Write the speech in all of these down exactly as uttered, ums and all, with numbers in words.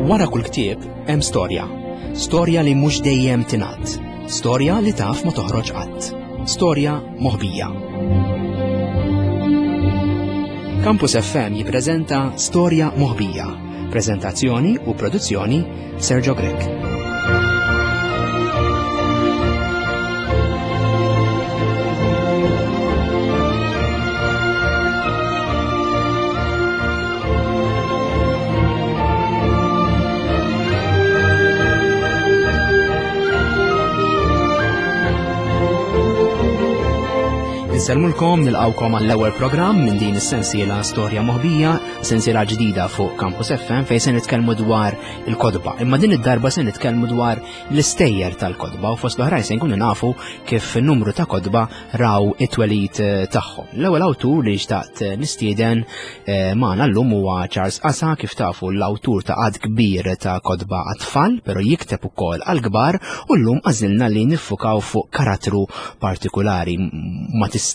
Wara kull ktieb hemm storja. Storja li mhux dejjem tingħad. Storja li taf ma toħroġ qatt. Storja moħbija. Campus F M jippreżenta Storja Moħbija. Preżentazzjoni u produzzjoni Sergio Grech. Insellmulkom, nilqawkom għall-ewwel programm minn din is-sensiela Storja Moħbija, sensiela ġdida fuq Campus F M fejn se nitkellmu dwar il-kotba. Imma din id-darba se nitkellmu dwar l-istejjer tal-kotba u fost l-oħrajn se nkunu nafu kif numru ta' kotba raw it-twelid, eh, tagħhom. L-ewwel awtur li xtaqt nistieden, eh, magħna llum huwa Charles Casa, kif tafu l-awtur ta' għadd kbir ta' kotba għat-tfal, però jikteb ukoll għall-kbar, u llum għażilna li niffukaw fuq karattru partikulari. Ma tistax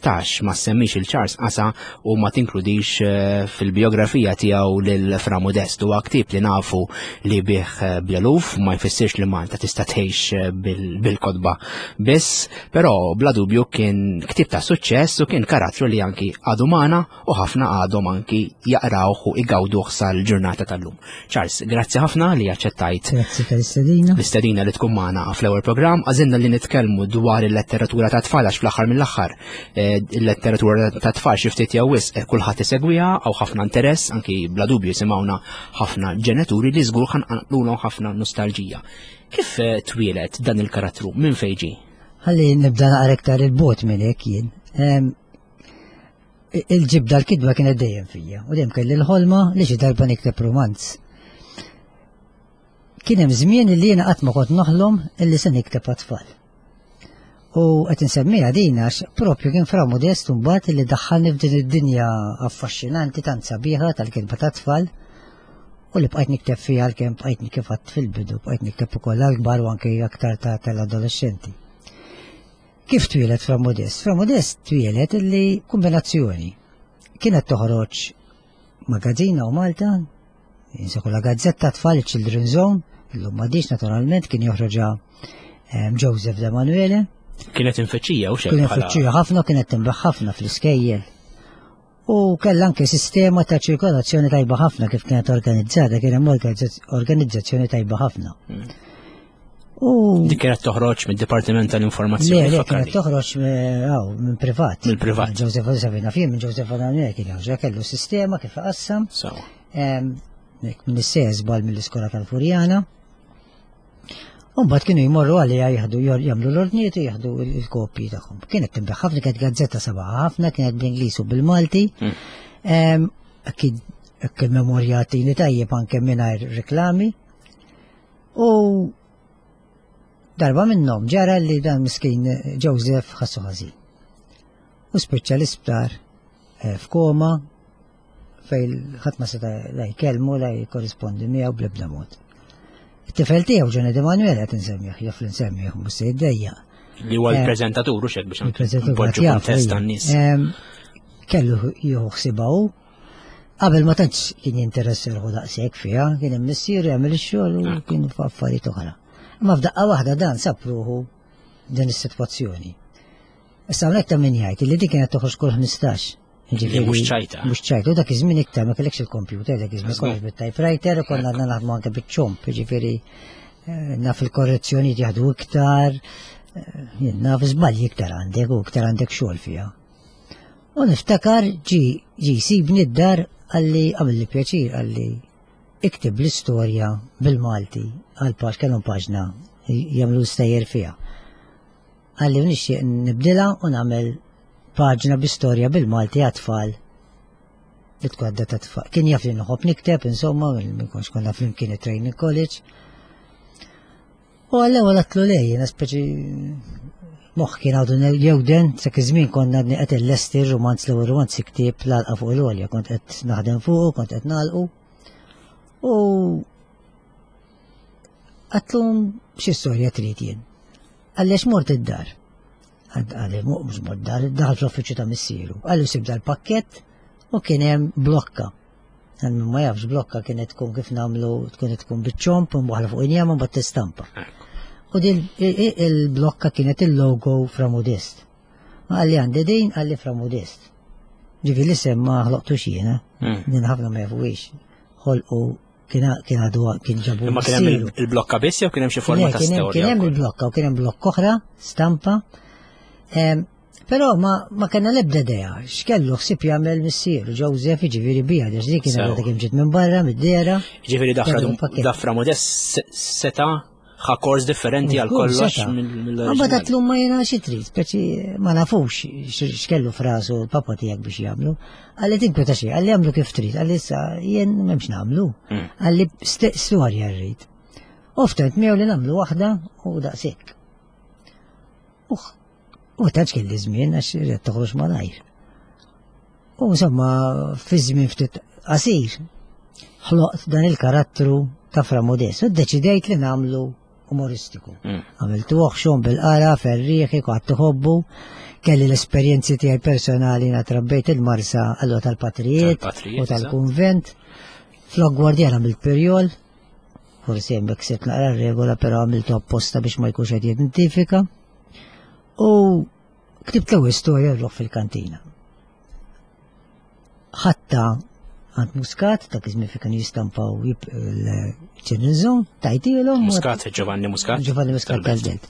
ma semmix il-Charles Casa u ma tinkludix, eh, fil-biografija tiegħu lil Fra Modest. Huwa ktieb li nafu li bih, eh, bl-eluf, ma jfissirx li Malta tista' tgħix, eh, bil-, bil-kotba biss, però bla dubju kien ktieb ta' suċċess u kien karattru li anki għadu magħna u ħafna għadhom anki jaqrawh u igawduh sal-ġurnata tal-lum. Charles, grazzi ħafna li aċċettajt Grazzi tal-istedina. l-istedina li tkun magħna fl-ewwel programm. Għażilna li nitkellmu dwar il-letteratura ta' tfal għax fl-aħħar mill-aħħar, eh, il-letteratura ta' tfal xi ftit jew wisq, eh, kulħadd isegwiha, hawn ħafna interess, anki bla dubju jisimgħuna ħafna ġenituri li żgur ħanqalulhom ħafna nostalġija. Kif, eh, twieled dan il-karattru? Minn fejn ġie? Ħalli nibda naqra iktar il-bot minn hekk jien. Ehm, il-ġibda l-kitba kienet dejjem fija u dejjem kelli l-ħolma li xi darba nikteb romanz. Kien hemm żmien li jiena qatt ma kont noħlom illi se nikteb għat-tfal. U qed insemmiha din għax propju kien Fra Modest mbagħad li daħħalni f'din id-dinja affaxxinanti tant sabiħa tal-kitba tat-tfal u li bqajt nikteb fiha għalkemm bqajt kif għadt fil-bidu, bqajt nikteb ukoll għall-kbar u anke aktar ta' tal-adolescenti. Kif twieled Fra Modest? Fra Modest twieled illi kombinazzjoni. Kienet toħroġ magazzina u Malta, jinsaku la gazzetta tfal Children Zone, illum m'għadix naturalment kien joħroġha, ehm, Joseph De Manuele. Kienet infittxija u xejn Kienet bħala infittxija ħafna, kienet tinbaħ ħafna fl-iskejjel. U kellha anke sistema ta' ċirkolazzjoni tajba ħafna kif kienet organizzata, kien hemm organizza-, organizzazzjoni tajba ħafna. Mm. U dik kienet toħroġ mid-Dipartiment tal-Informazzjoni, Le, le, fakkarni. kienet toħroġ me-, aw, minn privat. Mill-privat. Joseph Savina fih, minn Joseph Savina kien joħroġ, kellu sistema kif qassam. Sawa. Em, nek, minn is-sejs bal mill-iskola tal-Furjana. U mbagħad kienu jmorru għalija jieħdu, jor-, jagħmlu l-ordnijiet u jieħdu il-, il-kopji tagħhom. Kienet tinbigħ ħafna, kienet gazzetta sabaħ ħafna, kienet bl-Ingliż u bil-Malti. Mm. Em, hekk, hekk il-memorja tini tajjeb anke mingħajr reklami. U darba minnhom ġara li dan miskin Joseph ħassu ħażin. U spiċċa l-isptar, eh, f'koma fejn ħadd ma seta' la jkellmu la jikkorrispondi miegħu bl-ebda mod. It-tifel tiegħu Johnny De Manuel qed insemmih, jaf li nsemmih, mhux se jiddejjaq. Li huwa Eh, l-preżentatur u xek biex il-preżentatur npoġġu jaf, kuntest ejja. tan-nies. Em, kellu jieħu ħsiebha hu. Qabel ma tantx kien jinteressa ruħu daqshekk fiha, kien hemm missier jagħmel ix-xogħol u Ah. kien f'affarijiet oħra. Imma f'daqqa waħda dan sab ruħu din is-sitwazzjoni. Issa hawnhekk ta' min jgħid li dik kienet toħroġ kull ħmistax. Ġifieri, Li mhux ċajta. Mhux ċajta, u dak iż-żmien iktar ma kellekx il-computer, dak iż-żmien Żgur. kollox bit-typewriter, u konna għadna naħdmu anke biċ-ċomp, ġifieri, eh, naf il-korrezzjonijiet jaħdu iktar, eh, jien naf żbalji iktar għandek u iktar għandek xogħol fiha. U niftakar ġi, ġi jsibni d-dar għalli għamilli pjaċir għalli iktib l-istorja bil-Malti għal paġ, kellhom paġna jagħmlu stejjer fiha. Għalli nixtieq nibdilha u nagħmel paġna bi-storja bil-Malti għat-tfal li tkun għadda ta' tfal. Kien jaf li nħobb nikteb, insomma, minn konx konna flimkien it-training college. U għall-ewwel għatlu lej, jiena speċi moħħ kien għadu ne-, jewden, sak iż-żmien konna għadni qed illesti r-romanz, l-ewwel romanz ktieb l-għalqa fuq l-għolja, kont qed naħdem fuqu, kont qed nagħlqu. U għatlu xi storja trid jien. Għaliex mort id-dar. Għalli, mhux mort dar, daħal fl-uffiċċju ta' missieru. Għallu sib dal-pakkett u kien hemm blokka. Għal min ma jafx blokka kienet tkun kif nagħmlu tkun tkun biċ-ċomp u mwaħla fuq injama mbagħad tistampa. U din il-blokka kienet il-logo Fra Modest. Ma qalli għandi din qalli Fra Modest. Ġifieri l-isem ma ħloqtux jiena, Mm. din ħafna ma jafuhiex. Ħolqu kien kien għadu kien ġabu. Imma kien hemm missieru. il- il-blokka biss jew kien hemm xi forma ta' Kien hemm- storja? Kien hemm wkoll? il-blokka u kien hemm blokk oħra, stampa. Em, Però ma, ma kellna l-ebda idea, x'kellu ħsieb jagħmel missieru Joseph jiġifieri bija, għax dik kienet Sew. għadha kemm ġiet minn barra mid-dera. Ġifieri dafra Kellu pakket. da Fra Modest se- seta ħa kors differenti għal Żgur, kollox seta'. mill- Ma mill-oriġinali. tatlu ma jena xi trid, speċi ma nafux x- x'kellu frasu l-papa tiegħek biex jagħmlu. Qalli tinkweta xejn, qalli jagħmlu kif trid, qalli issa jien m'hemmx nagħmlu. Mm. Qalli st- storja rrid. U ftent miegħu li nagħmlu waħda u daqshekk. Uħ, u tantx kelli żmien għax irrid toħroġ malajr. U insomma, fi żmien ftit qasir, ħloqt dan il-karattru ta' Fra Modest u ddeċidejt li nagħmlu umoristiku. Mm. Għamiltu oħxon bil-qara, ferrieħi, kwatt tħobbu, kelli l-esperjenzi tiegħi personali na trabbejt il-Marsa allura tal-Patrijiet Tal-Patrijiet, u tal-Kunvent. Flok Gwardjan għamilt perjol, forsi hemmhekk sibt naqra regola, però għamiltu apposta biex ma jkunx qed jidentifika. U ktibt l-ewwel storja rruħ fil-kantina. Ħatta għand Muscat, dak iż-żmien fejn kienu jistampaw il-ċirnizon, tajtilhom. u Muscat, Giovanni Muscat. Giovanni Muscat Tal-Belt. tal-Belt.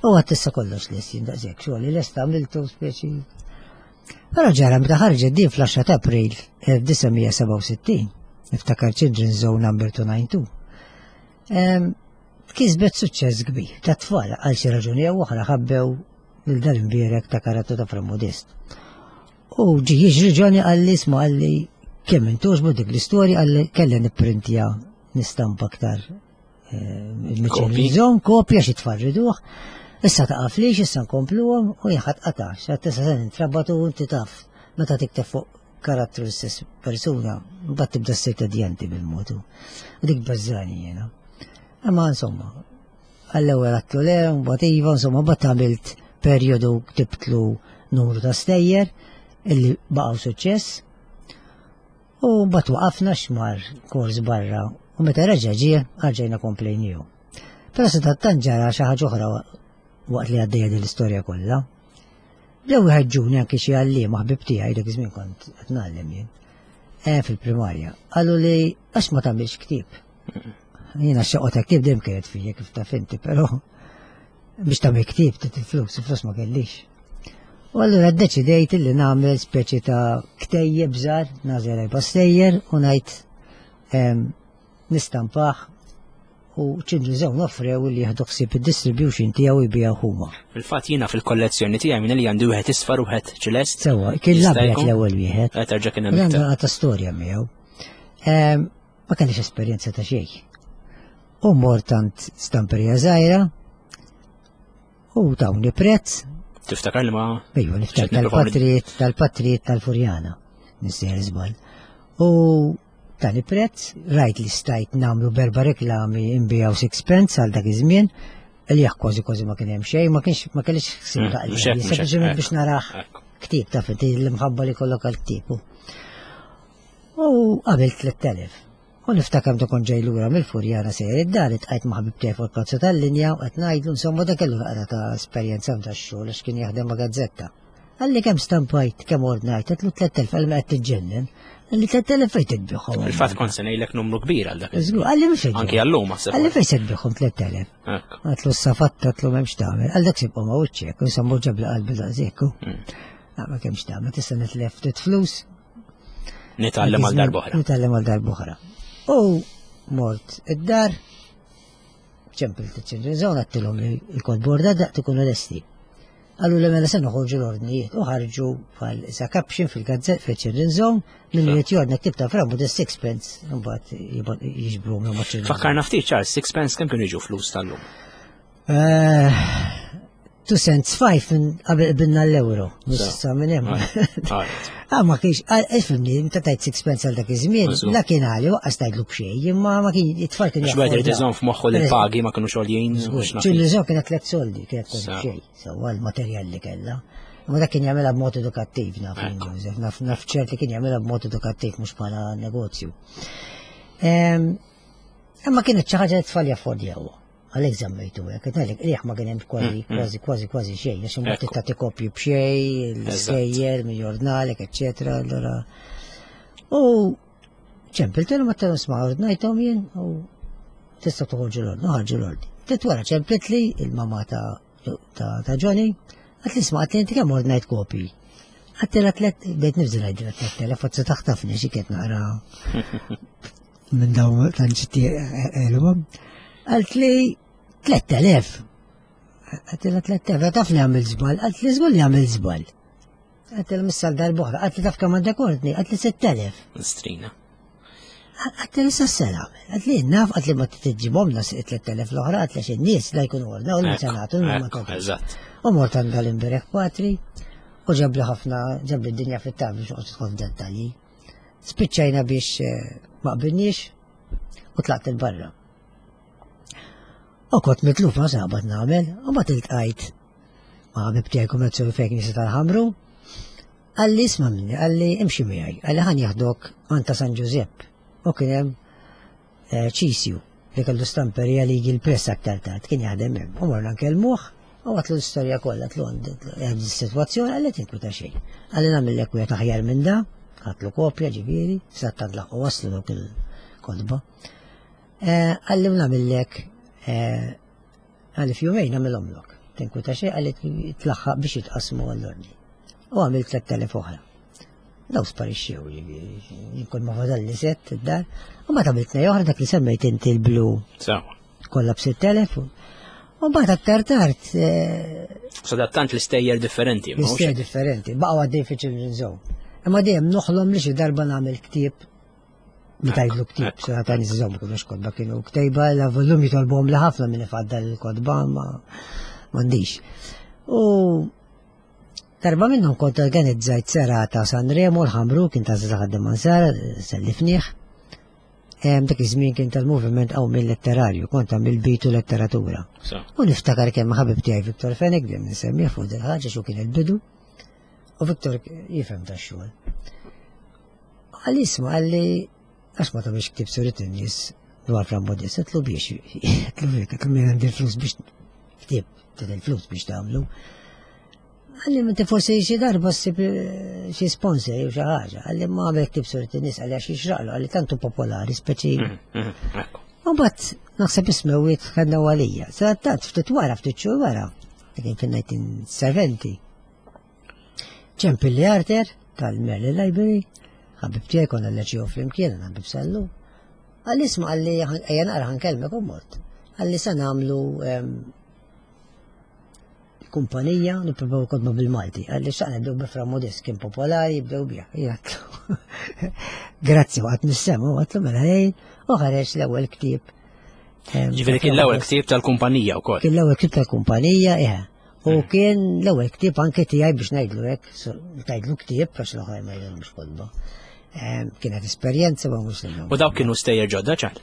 U għat issa kollox lest jindaqsek, xogħol li lest għamiltu speċi. Però ġara meta ħarġet din fl-għaxra ta' April elf disa' mija sebgħa u sittin, niftakar Children's Zone number two nine two. Em, Kisbet suċċess kbir ta' tfal għal xi raġuni jew oħra ħabbew lil dan imbierek ta' karattru ta' Fra Modest. U ġi jiġri Johnny qalli isma' qalli kemm intuġbu dik l-istorja qalli kelli nipprintja nistampa aktar Kopji. il-Zone kopja xi tfarriduh. Issa taqaflix, issa nkompluhom u jien ħadd qatax. Għad issa se nintrabatu u inti taf meta tikteb fuq karattru l-istess persuna, mbagħad tibda ssir tedjanti bil-modu. U dik bażżani jiena. Imma insomma, għall-ewwel għattu le, mbagħad iva, insomma, mbagħad għamilt perjodu ktibtlu numru ta' stejjer illi baqgħu suċċess. U mbagħad waqafna xmar kors barra u meta reġa' ġie għarġejna komplejniju. Però se tant ġara xi ħaġa oħra waqt li għaddejja din l-istorja kollha. Bdew iħeġġuni anke xi għalliema ħbib tiegħi dak iż-żmien kont qed ngħallem jien. Eh, fil-primarja. Qalu li għax ma tagħmilx ktieb. Jiena x-xewqa ta' ktieb dejjem kienet fija kif taf inti, però biex tagħmel ktieb trid il-flus, il-flus ma kellix. U allura ddeċidejt li nagħmel speċi ta' ktejjeb żgħar, nagħżel erba' stejjer u ngħid em, nistampah u Children's Zone offrew li jieħdu ħsieb id-distribution tiegħu jbiegħu huma. Fil-fatt jiena fil-kollezzjoni tiegħi minn li għandi wieħed isfar u wieħed ċelest. Sewwa, kien Jista' l-abjad jkun? l-ewwel wieħed. Qed terġa' kien hemm Għandu iktar. għata storja miegħu. Em, Ma kellix esperjenza ta' xejn. U mort tant stamperija żgħira u tawni prezz, Tiftakar li ma ejju niftakar Xed nipprova tal-patrijiet tal-patrijiet tal-Furjana, nissejjer żball. U tani prezz, rajt li stajt nagħmlu berba reklami nbiegħu sixpence għal dak iż-żmien, li jekk kważi kważi ma kien hemm xejn, ma kienx ma kellix ħsieb Mm, ta' mhux hekk, mhux hekk, sempliċement ekku. biex narah Ekku. ktieb ta' inti l-imħabba li kollok għal ktieb. U qabel tliet elef. U niftakar meta kont ġej lura mill-Furjana sejjer id-dar itqajt ma' ħabib tiegħi fuq il-karozza tal-linja u qed ngħidlu insomma dak kellu naqra ta' esperjenza f'da x-xogħol għax kien jaħdem ma' gazzetta. Qalli kemm stampajt, kemm ordnajt, għedtlu tliet elef, qalli ma qed tiġġennen. Qalli tliet elef fejn titbiegħhom? Fil-fatt kont se ngħidlek numru kbir għal dak. Żgur, qalli mhux qed Anki għallum naħseb. Qalli fejn se tbiegħhom tliet elef? Ekku. Għedtlu s-safatta, għedtlu m'hemmx tagħmel. Għal dak sibqgħu ma' wiċċek, insomma ġabli qalbi daqshekk. Mm. Ah, ma kemmx tagħmel, tista' nitlef ftit flus. Nitgħallem għal darb'oħra. Nitgħallem għal darb'oħra. U mort id-dar, ċempilt iċ-Children's Zone, għedtilhom li l-kotba borda daqt ikunu lesti. Qallu li mela se noħorġu l-ordnijiet u ħarġu bħal isa caption fil-gazzett fil-Children's Zone min irid jordna ktieb ta' Fra Modest sixpence mbagħad jibgħat- jiġbru minn ma' Children's Zone. Fakkarna ftit Charles, sixpence kemm kienu jiġu flus tal-lum? Eh, Two cents five minn qabel binna l-euro. Issa minn hemm. Alright. Ah, ma kienx, ah, ifhimni, meta tajt sixpence għal dak iż-żmien, Żgur. la kien għali, waqqas tajtlu b'xejn, imma ma kien it-tfal kien Għax wieħed irid jaffordjaw. iżomm f'moħħu li l-pagi ma kienu xogħoljin. Ċilli kienet tliet soldi, kienet kważi Sa. b'xejn, sewwa l-materjal li kellha. Ma dak kien jagħmilha b'mod edukattiv naf Joseph, naf naf ċert li kien jagħmilha b'mod edukattiv mhux bħala negozju. Imma kienet xi ħaġa li tfal jaffordjawha. Għalhekk żammejtu hekk, qed ngħidlek qliegħ ma kien hemm kważi kważi kważi kważi xejn, għax imbagħad tagħti kopji b'xejn, l-iskejjel, min jordnalek, eċċetera, allura. U ċempiltilhom għedtilhom isma' ordnajthom jien u tista' toħorġu l-ordni, ħarġu l-ordni. Ftit wara ċemplitli il-mama ta' ta' Johnny, għedtli isma' għedtli inti kemm ordnajt kopji. Għedtilha tliet, bdejt nibża' ngħidilha tliet elef, forsi taħtafni xi kiet naqra minn dawn tanċitti elhom. Għalt li tliet elef. Għedtilha tliet elef, taf li għamil żball, għalt li żgur li għamil żball. Għedtilha missal darb'oħra, għalt li taf kemm għandek ordni, għalt li sitt elef. Strina. Għedtli issa s-sena, għedtli naf, għedtli ma tġibhomna tliet elef l-oħra, għedtli xin-nies la jkunu ordnaw, li sanatu, ma Eżatt. U mort għand l-imbierek Patri, u ġabli ħafna, ġabli d-dinja fit-taf biex uqgħod tidħol f'dettalji. Spiċċajna biex ma qbilniex u tlaqt il-barra. U kont mitluf ma sabat nagħmel, u ma tiltqajt ma' ħabib tiegħi kummerzzjoni fejn Knisja tal-Ħamru. Għalli isma' minni, għalli imxi miegħi, għalli ħan jaħdok għand ta' San Ġużepp. U kien hemm ċisju li kellu stamperija li jiġi l-press aktar tard, kien jaħdem hemm. U morna nkellmuh, u għedtlu l-istorja kollha, għedtlu għandi s-sitwazzjoni, għalli tinkwita xejn. Għalli nagħmillek wieħed aħjar minn da, ħadtlu kopja ġifieri, sattant laħqu waslu dawk il-kotba. Għalli nagħmillek għalli f'jumejn nagħmilhomlok. Tinkwita xejn, għalli tlaħħaq biex jitqasmu għall-ordni. U għamil tliet elef oħra. Daw sparixxew, ġifieri, jkun ma fadalli sett id-dar. U ma tagħmel tnej oħra dak li semmejt inti l-blu. Sewa. Kollha b'sitt elef. U mbagħad aktar tard. Sadattant l-istejjer differenti. L-istejjer differenti, baqgħu għaddej fi Children's Zone. Imma dejjem noħlom li xi darba nagħmel ktieb li tgħidlu ktieb, se ta' nies iżommu kienu x'kotba kienu ktejba, la volum jitolbuhom li ħafna minn ifaddal il-kotba ma m'għandix. U darba minnhom kont organizzajt serata Sanremo l-Ħamru kien ta' Żaħad Mansara, sellifnieh. Dak iż-żmien kien tal-moviment qawmien letterarju, kont għamil bitu letteratura. U niftakar kemm ħabib tiegħi Viktor Fenech, dejjem insemmih fuq dil ħaġa xu kien il-bidu. U Viktor jifhem tax-xogħol. Għalli isma' għalli għax ma tagħmilx ktieb surit in-nies dwar Fra Modest, għedtlu biex, għedtlu fik, għedtlu min għandi l-flus biex ktieb, trid il-flus biex tagħmlu. Għalli inti forsi xi darba ssib xi sponsor jew xi ħaġa, għalli ma għamel ktieb surit in-nies għalli għax jixraqlu, għalli tantu popolari, speċi. U mbagħad naħseb ismewiet ħadna għalija. Sadattant ftit wara, ftit xhur wara, kien fin-nineteen seventy. Ċempilli Arthur tal-Merlin Library, ħabib tiegħi konna l-ċew flimkien, ħabib sallu. Għalli isma' għalli ejja naqra ħankellmek u mort. Għalli sa nagħmlu kumpanija nippruvaw kotba bil-Malti. Għalli xaqna nibdew bi Fra Modest kien popolari, jibdew bih. Jgħatlu. Grazzi, waqt nissemu, għatlu mela ħejn, u ħareġ l-ewwel ktieb. Ġifieri kien l-ewwel ktieb tal-kumpanija wkoll. Kien l-ewwel ktieb tal-kumpanija, eħe. U kien l-ewwel ktieb anke tiegħi biex ngħidlu hekk, tgħidlu ktieb għax l-oħrajn ma jgħidlhomx kotba. Kienet esperjenza ma mhux l U dawk kienu stejjer ġodda ċar?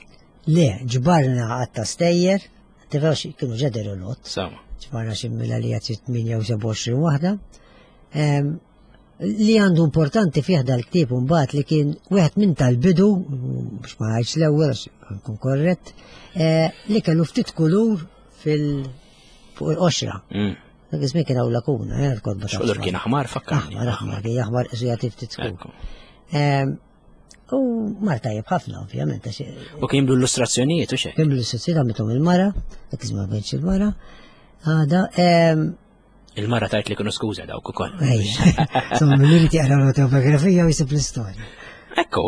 Le, ġbarna għatta stejjer, tifhem kienu ġederu lot. Sewa. Ġbarna xi mila li għad tminja u sebgħa u għoxrin waħda. Li għandu importanti fih dal-ktieb mbagħad li kien wieħed minn tal-bidu, biex ma ngħidx l-ewwel għax nkun korrett, li kellu ftit kulur fil fuq il-qoxra. Dak iż-żmien kien hawn lakuna, eh, l-kotba ta' X'kulur kien aħmar fakkarni. Aħmar, aħmar, kien aħmar qisu jagħti ftit skur. U mar tajjeb ħafna, ovvjament, għax U kien blu illustrazzjonijiet u xejn? Kien blu illustrazzjonijiet għamilthom il-mara, dak iż-żmien ma kienx il-mara. Għada, Il-mara tajt li kienu skuża dawk ukoll. Ejja. Insomma, min irid jaqra l-autobiografija u jsib l-istorja. Ekku,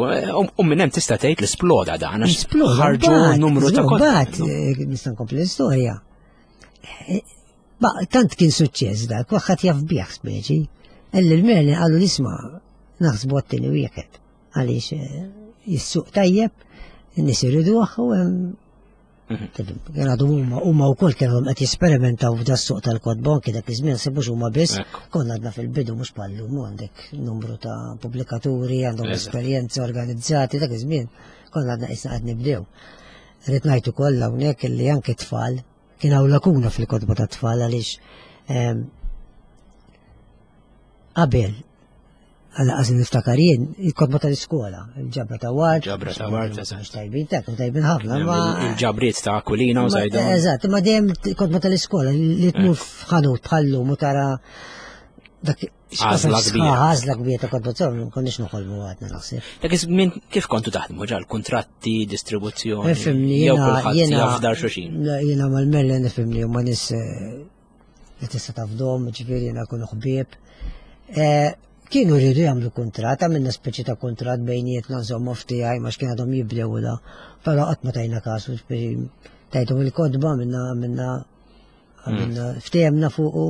u minn hemm tista' tgħid li sploda dan, għax Sploda, ħarġu mbagħad, numru ta' kotba. Mbagħad, eh, nista' nkompli l-istorja. Eh, ba, tant kien suċċess dak, kulħadd jaf bih speċi. Elli l-Merlin qalu li isma' naħsbu għat-tieni wieħed. Għaliex, eh, jissuq tajjeb, in-nies iriduh u hemm Kien għadu huma, huma wkoll kienu qed jesperimentaw f'da s-suq tal-kotba, anke dak iż-żmien sebux huma biss, Ekku. konna għadna fil-bidu mhux bħallum, għandek numru ta' pubblikaturi, għandhom Eżatt. esperjenza organizzati, dak iż-żmien konna għadna qisna qed nibdew. Rrid ngħid ukoll hawnhekk illi anke tfal kien hawn lakuna fil-kotba ta' tfal għaliex, ehm, Qabel, għalla għazin niftakar jien, il-kotba tal-iskola, il-ġabra ta' Ward. Ġabra ta' Ward, eżatt. Tajbin, ta' tajbin ħafna, ma. Il-ġabriet ta' Aquilina u Zajdon. Eżatt, ma dejjem kotba tal-iskola li tmur eh. f'ħanut bħallum u tara dak Għażla kbira. Għażla kbira ta' kotba tal konniex noħolmu għadna naħseb. Dak iż-żmien kif kontu taħdmu ġal kuntratti, distribuzzjoni? Nifhimni, jew kulħadd jafdar xulxin. Jiena mal-Merlin nifhimni huma nies eh, li tista' tafdhom, ġifieri jiena kunu ħbieb. Eh, kienu rridu jagħmlu kuntratt, għamilna speċi ta' kuntratt bejnietna insomma ftijaj ma x'kien għadhom jibdew da. Però qatt ma tajna kasu, speċi tajthom il-kotba minna minna għamilna hmm. ftehemna fuq u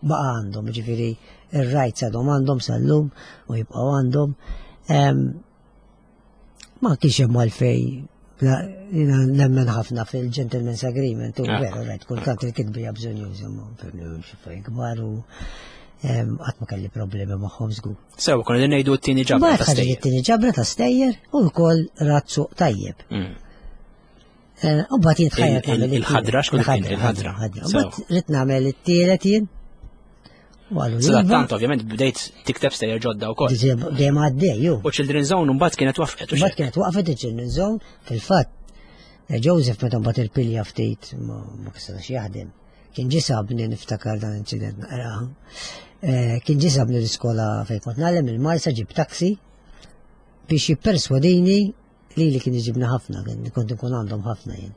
baqa' għandhom, ġifieri ir-rights għadhom għandhom sal-lum u jibqgħu għandhom. Ma kienx hemm għalfej jiena nemmen ħafna fil-gentleman's agreement u ah. veru rajt kultant il-kitbi hija bżonn juża ma fimni kbar u qatt ma kelli problemi magħhom żgur. Sew, konna din ngħidu t-tieni ġabra ta' stejjer. It-tieni ġabra ta' stejjer u wkoll rat suq tajjeb. Mm. Eh, u mbagħad jien tħajjat nagħmel il-ħadra x'kont il-ħadra. Mbagħad rid nagħmel it-tielet jien. Sadattant ovvjament bdejt tikteb stejjer ġodda wkoll. Dejjem għaddej, ju. U Children's Zone mbagħad kienet waqfet. Mbagħad kienet waqfet il-Children's Zone, fil-fatt eh, Joseph meta mbagħad il-pilja ftit ma kistax jaħdem. Kien ġie sabni niftakar dan incident naqra. Eh, kien ġie sabni l-iskola fejn kont nagħlem il-Marsa ġib taxi biex jipperswadini li li kien iġibna ħafna, kont nkun għandhom ħafna jien,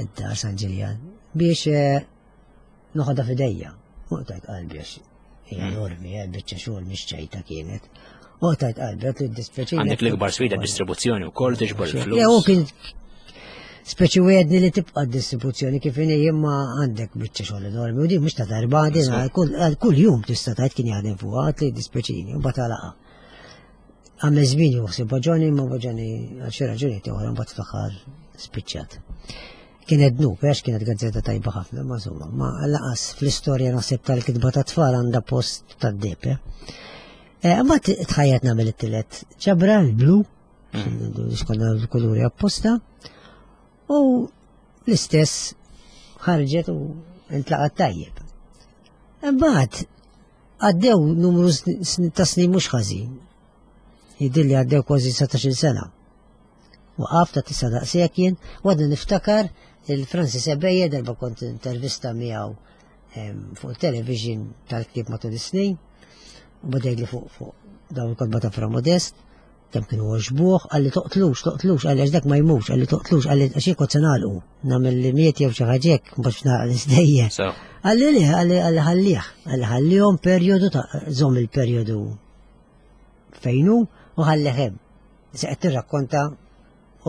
id-dar San Ġiljan, biex eh, noħodha f'idejja. U tajt qalbi għax hija hmm. enormi, eh, biċċa xogħol mhix ċajta kienet. U tajt qalbi għat li dispjaċini. Għandek l-ikbar sfida distribuzzjoni wkoll tiġbor il-flus. Le, u kien speċi wegħedni li tibqa' distribuzzjoni kif inhi imma għandek biċċa xogħol enormi u din mhux ta' darba din kull jum tista' tgħid kien jaħdem fuqha għad li dispjaċini u mbagħad għalaqa. Għamel żmien juħsib Boġoni, ma Boġoni għal xi raġuni oħra mbagħad fl-aħħar spiċċat. Kienet dnub, għax kienet gazzetta tajba ħafna, ma insomma, ma laqas fl-istorja naħseb tal-kitba ta' tfal għandha post tad-deb. Eh? eh mbagħad tħajjat nagħmel it-tielet ġabra l-blu, mm. xkonna l-kuluri apposta, u l-istess ħarġet u intlaqat tajjeb. Imbagħad għaddew numru ta' snin mhux ħażin. Jidhirli għaddew kważi satax-il sena. Waqaf ta' tisa' daqshekk jien, u għadni niftakar il-Francis Ebeje darba kont intervista miegħu fuq television tal-ktieb matul is-snin, u bada jgħidli fuq fuq dawn il-kotba ta' Fra Modest, kemm kienu għoġbuh, qalli toqtlux, toqtlux, qalli għax dak ma jmux, qalli toqtlux, qalli għax jien kont se nagħlqu, nagħmel li miet jew xi ħaġa hekk, mbagħad nagħlaq l-istejjer. Qalli le, qalli qalli ħallih, qalli ħallihom perjodu ta' żomm il-perjodu fejn hu u ħallih hemm. Se qed tirrakkonta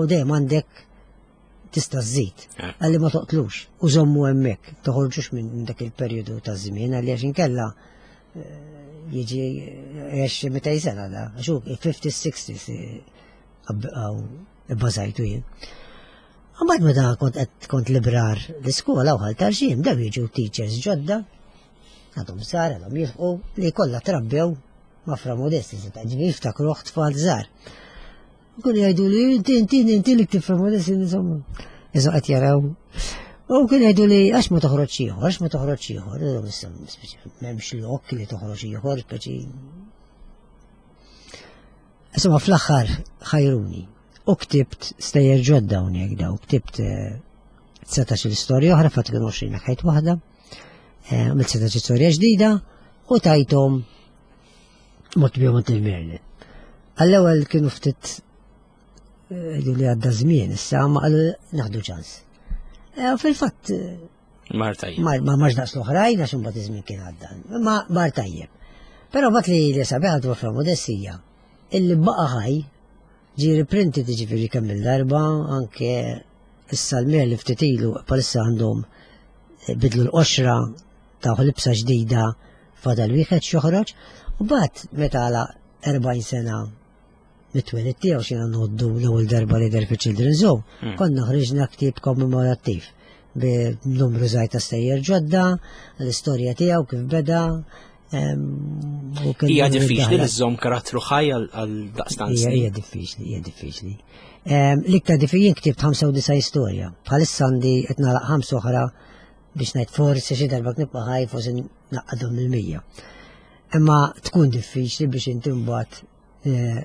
u dejjem għandek tista' żżid. Eh. Għalli ma toqtlux u żommu hemmhekk, toħorġux minn dak il-perjodu ta' żmien għalli għax inkella eh, jiġi għex mitej sena da, għax hu fifties, sixties bbażajtu jien. Mbagħad meta kont qed kont librar l-iskola u ħal tarxim, daw jiġu teachers ġodda, għadhom sar, għadhom jilħqu li kollha trabbew ma' Fra Modesti, se ġifieri jiftakruh tfal żgħar. Kun jgħidu li inti inti inti li ktib Fra Modesti insomma. Iżu qed jaraw. U kien jgħidu li għax ma toħroġ ieħor, għax ma toħroġ ieħor, m'hemmx lok li toħroġ ieħor, speċi. Insomma fl-aħħar ħajruni. U ktibt stejjer ġodda hawnhekk daw, ktibt eh, dsatax-il istorja oħra, fatt kienu għoxrin ħajt waħda, eh, għamilt dsatax-il istorja ġdida u tajthom mort bihom għand il-Merlin. Għall-ewwel kienu ftit eh, li għadda żmien issa ma qalu naħdu ċans. Eh, u fil-fatt eh, Mar tajjeb. Ma marx daqs l-oħrajn għax imbagħad iż-żmien kien għadda. Ma mar tajjeb. Però mbagħad li li sabiħa dwar Fra Modestija illi baqa' ħaj ġie reprinted ġifieri kemm il-darba anke issa l-Merlin li ftit ilu bħalissa għandhom bidlu l-qoxra ta' libsa ġdida fadal wieħed x'joħroġ u mbagħad meta għalaq erbgħin sena mit-twelid tiegħu xina noddu l-ewwel darba li der fi Children's Home, hmm. konna ħriġna ktieb kommemorattiv b'numru żgħir ta' stejjer ġodda, l-istorja tiegħu kif beda. Hija diffiċli li żżomm karattru ħaj għal daqstant. Hija diffiċli, hija diffiċli. L-iktar diffiċli jien ktibt ħamsa u disgħin storja. Bħalissa għandi qed nagħlaq ħamsa oħra biex ngħid forsi xi darba nibqa' ħaj forsi naqqadhom il-mija. Imma tkun diffiċli biex inti mbagħad eh,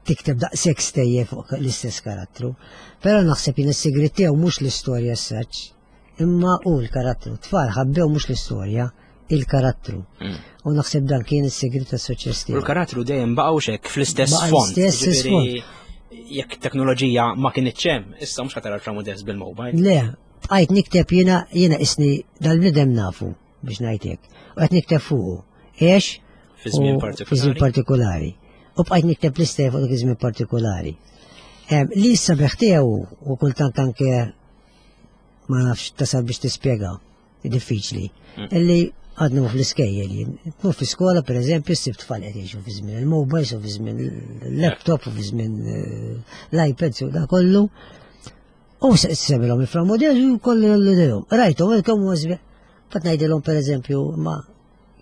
tikteb daqshekk stejjer fuq l-istess karattru. Però naħseb jien is-sigriet tiegħu mhux l-istorja s-saċ, imma hu l-karattru. Tfal ħabbew mhux l-istorja, il-karattru. Mm. U naħseb dan kien is-sigriet tas-suċċess U tiegħu. l-karattru dejjem baqgħu xek fl-istess Baqa' font. l-istess Ġifieri, jekk teknoloġija ma kienitx hemm, issa mhux ħa tara Fra Modest bil-mobile. Le, bqajt nikteb jiena jiena isni dal-bniedem nafu biex ngħid hekk. U qed nikteb fuqu. Għex Fi żmien u- partikolari. Fi żmien partikolari. U bqajt nikteb l-istejjer fuq dak iż-żmien partikolari. Em, Li s-sabiħ tiegħu u kultant anke ma nafx tasal biex tispjega, diffiċli. Mm. Illi għadna fl-iskejjel jien. Tmur fi skola, per eżempju, ssib tfal qed jgħixu fi żmien il-mobiles u fi żmien il-laptop u fi żmien eh, l-iPads u da kollu. U semilhom il-Fra Modest u kollu l-idejhom. Rajthom kemm huwa sbieħ. Fat ngħidilhom per eżempju, ma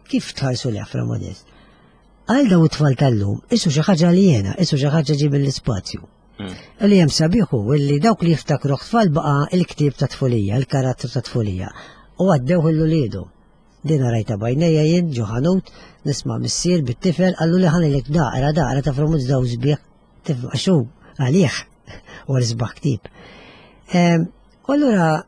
kif tħarsu li Fra Modest? Għal daw it-tfal tal-lum, isu xi ħaġa li jena, isu xi ħaġa ġie mill-ispazju. Mm. Li hemm sabiħu illi dawk li jiftakru tfal baqa il-ktieb ta' tfulija, il-karattru ta' tfulija. U għaddew il-luliedu. Din rajta b'għajnejja jien ġo ħanut, nisma' missier bit-tifel, qallu li ħanilek daqra, daqra ta' Fra Modest daw sbieħ. Tifel, għaxu, għalih, u l-isbaħ ktieb. Em, U allura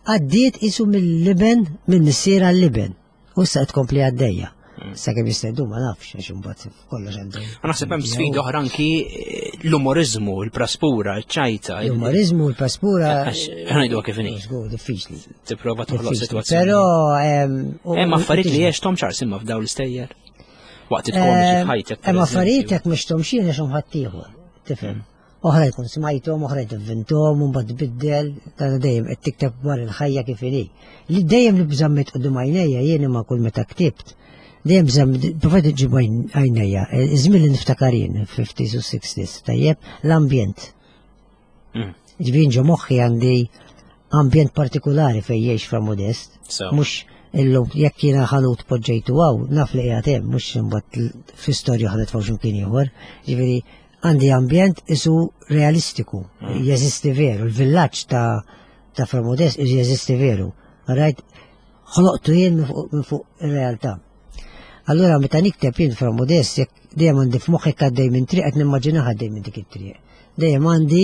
għaddiet isu mill-liben, minn missier għal-liben. U issa qed tkompli għaddejja. Sa kemm jista' ma nafx għax imbagħad kollox għandu. Naħseb hemm sfida oħra anki eh, l-umorizmu, il-praspura, il-ċajta. il- L-umorizmu, l-praspura. Għax ħanajdu kif inhi. Żgur, diffiċli. Tipprova toħloq Diffiċli. sitwazzjoni. Però em, u- Hemm u- affarijiet li tiġi. għexthom ċar simma f'daw l-istejjer. Waqt it-komiċi f'ħajtek. per Hemm affarijiet eżempju. jekk mhux xien għax ħaddieħor. Tifhem. Oħra jkun smajthom, oħra tivvinthom, u mbagħad tbiddel, ta' dejjem qed tikteb dwar il-ħajja kif inhi. Li dejjem li bżammit quddiem għajnejja jien imma kull meta ktibt. Dejjem bżamm provajt ġib għajnejja, iż-żmien li niftakar jien, fifties u sixties, tajjeb, l-ambjent. Mm. Ġifieri ġo moħħi għandi ambjent partikolari fejn jgħix Fra Modest. So. Mhux illum jekk jiena ħanut poġġejtu għaw, naf li qiegħed hemm, mhux imbagħad fi storja ħadet fuq x'imkien ieħor. Ġifieri għandi ambjent isu realistiku, jeżisti veru, il-villaġġ ta' ta' Fra Modest jeżisti veru. Rajt, ħloqtu jien minn fuq- minn fuq ir-realtà. Allura meta nikteb jien Fra Modest, jekk dejjem għandi f'moħħi għaddej minn triq qed nimmaġinaha għaddej minn dik it-triq. Dejjem għandi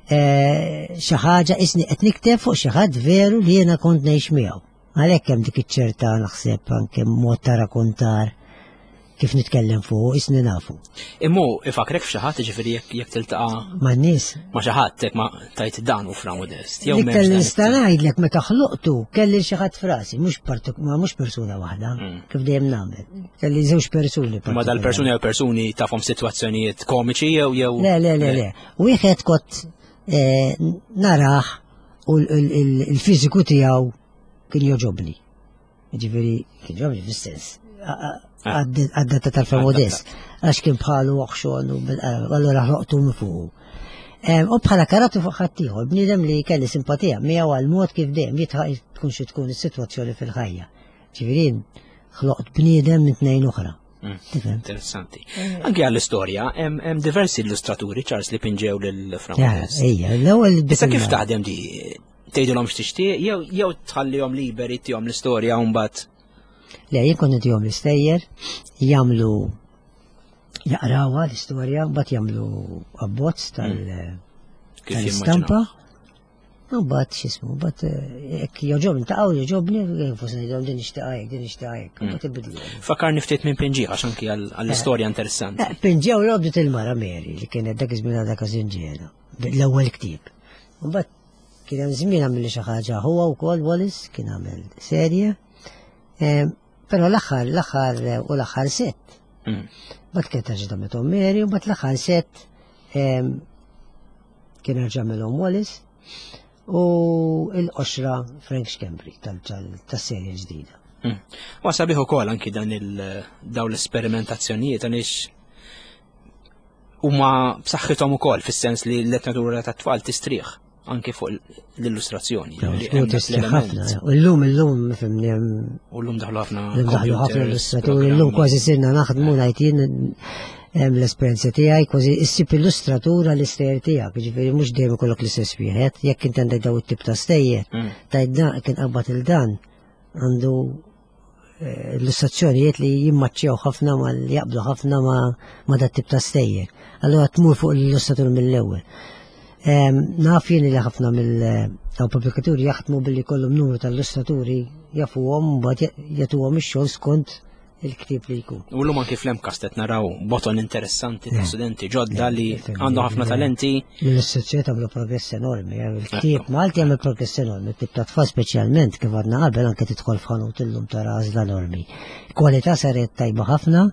eh, xi ħaġa isni qed nikteb fuq xi ħadd veru li jiena kont ngħix miegħu. Għalhekk hemm dik iċ-ċerta naħseb anke mod ta' rakontar kif nitkellem fuq, isni nafu. Immu ifakrek f'xi ħadd ġifieri jekk jekk tiltaqa' Ma' nies ma' xi ħadd hekk ma tajt dan u Fra Modest. Jew L-iktar m'hemmx li dan nista' it-tip. ngħidlek meta ħloqtu kelli xi ħadd frasi, mhux partik- ma mhux persuna waħda, Mm. kif dejjem nagħmel. Kelli żewġ persuni. Ma dal-persuni jew persuni tafhom sitwazzjonijiet komiċi jew jew. Le, le, le, le. Wieħed kont eh, narah u l- l- l- il-fiżiku tiegħu kien joġobni. Ġifieri kien joġobni fis-sens. Ah. Għaddata tal-Fra Modest. Għax kien bħalu oħxon u bil- allura ħloqtu minn fuqu. Em, U bħala karattru fuq ħaddieħor, bniedem li kelli simpatija miegħu għal mod kif dejjem jitħaq tkun xi tkun is-sitwazzjoni fil-ħajja. Ġifieri ħloqt bniedem minn tnejn oħra. Mm. Tifhem? Interessanti. Anke għall-istorja, hemm hemm diversi illustraturi Charles li pinġew lil Fra Ja, Modest. Ejja, l-ewwel Issa kif taħdem di? Tgħidilhom x'tixtieq jew jew tħallihom liberi tihom l-istorja u mbagħad Le, jien kont intihom l-istejjer, jagħmlu jaqrawha l-istorja, mbagħad jagħmlu abbozz tal kif tal-istampa. jimmaġinaw. U mbagħad x'ismu, mbagħad eh, jekk joġobni taqgħu joġobni, forsi ngħidilhom din nixtieq hekk, din nixtieq hekk, mbagħad ibidlu. Fakkarni ftit minn pinġi għax anki għall- għall-istorja interessanti. Eh, Pinġew l-obdit il-mara Mary li kienet dak iż-żmien għadha każinġiera, l-ewwel ktieb. U mbagħad kien hemm żmien għamel xi ħaġa huwa wkoll Wallis kien għamel serje. Eh, Però l-aħħar l-aħħar eh, u l-aħħar set. Mm. Mbagħad kien terġa' tagħmilhom Mary u mbagħad l-aħħar set em, kien erġa' għamilhom Wallis u l-qoxra Frank Schembri tal- tal- tas-serje ġdida. Mm. Wa sabiħ ukoll anki dan il daw l-esperimentazzjonijiet għaliex huma b'saħħithom ukoll fis-sens li l-letteratura tat-tfal tistrieħ anki fuq l-illustrazzjoni. Ġifieri Żgur hemm dak tistrieħ l-element. ħafna. U llum illum fimni hemm U llum daħlu ħafna L-lum daħlu ħafna computers, illustraturi, l-lum programmi. kważi sirna naħdmu ngħid jien hemm l-esperjenza tiegħi kważi issib illustratura l-istejjer tiegħek, jiġifieri mhux dejjem ikollok l-istess wieħed, jekk inti għandek daw it-tip ta' stejjer, Mm. tajt dan kien qabad il dan għandu eh, illustrazzjonijiet li jimmaċċjaw ħafna ma li jaqblu ħafna ma, ma dat tip ta' stejjer. Allura tmur fuq l-illustratur mill-ewwel. Em, Naf jien li ħafna mill pubblikaturi jaħdmu billi kollhom numru tal-illustraturi jafuhom, mbagħad jagħtuhom ix-xogħol skont il-ktieb li jkun. U l-lum anki fl-MCAST qed naraw boton interessanti ta' Eh. studenti ġodda li Eh, għandhom ħafna eh. talenti. L-illustrazzjoni tagħmlu progress enormi, eh, il-ktieb Malti jagħmel progress enormi, il-ktieb ta' tfal speċjalment, kif għadna qabel, anke tidħol f'ħanut illum tara għażla enormi. Kwalità saret tajba ħafna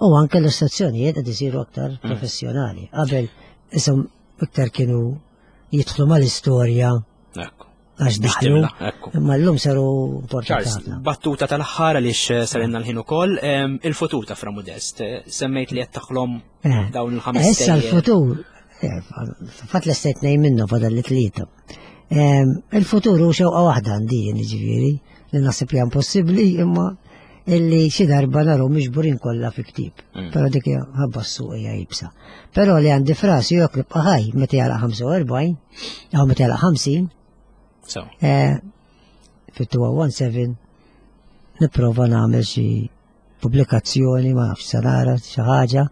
u anke l-illustrazzjonijiet qed isiru aktar professjonali. Qabel isom iktar kienu jidħlu mal-istorja Ekku. għax Biex daħlu, timla, ekku. imma llum saru importanti Charles, ħafna. battuta tal-aħħar għaliex sarinna l-ħin ukoll, em, il-futur ta' Fra Modest, eh, semmejt li qed taħlom Eh. dawn il-ħames Issa stejjer. l-futur, eh, fatt l-estate nej minnu fadal li tlieta. Em, Il-futur hu xewqa waħda għandi jien, ġifieri, li naħseb li impossibbli, imma illi xi darba naraw miġburin kollha fi ktieb. Mm. Però dik hija ħabba s-suq hija iebsa. Però li għandi f'rasi jekk nibqa' ħaj meta jagħlaq ħamsa u erbgħin jew meta jagħlaq ħamsin, So, eh, fit-elfejn u sbatax nipprova nagħmel xi pubblikazzjoni, ma nafx, sa nara xi ħaġa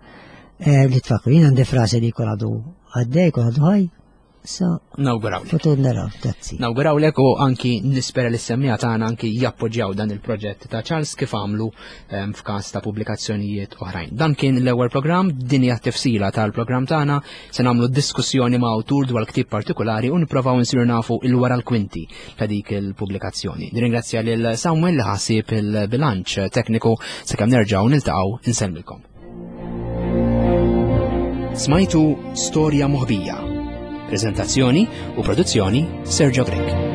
eh, li tfakru. Jien għandi f'rasi li jkun għadu għaddej, jkun għadu ħaj, sa nawgurawlek. futur naraw, grazzi. Nawgurawlek u anki nispera li s-semmiegħa tagħna anki jappoġġjaw dan il-proġett ta' Charles kif għamlu em, f'każ ta' pubblikazzjonijiet oħrajn. Dan kien l-ewwel programm, din hija tifsila tal-programm tagħna, se nagħmlu diskussjoni ma' awtur dwar ktieb partikolari u nipprovaw nsiru nafu il-wara l-kwinti ta' dik il-pubblikazzjoni. Nirringrazzja lil Samuel li ħasib il-bilanċ tekniku. Sakemm nerġgħu niltaqgħu, insellmilkom. Smajtu Storja Moħbija. Prezentazzjoni u produzzjoni, Sergio Grech.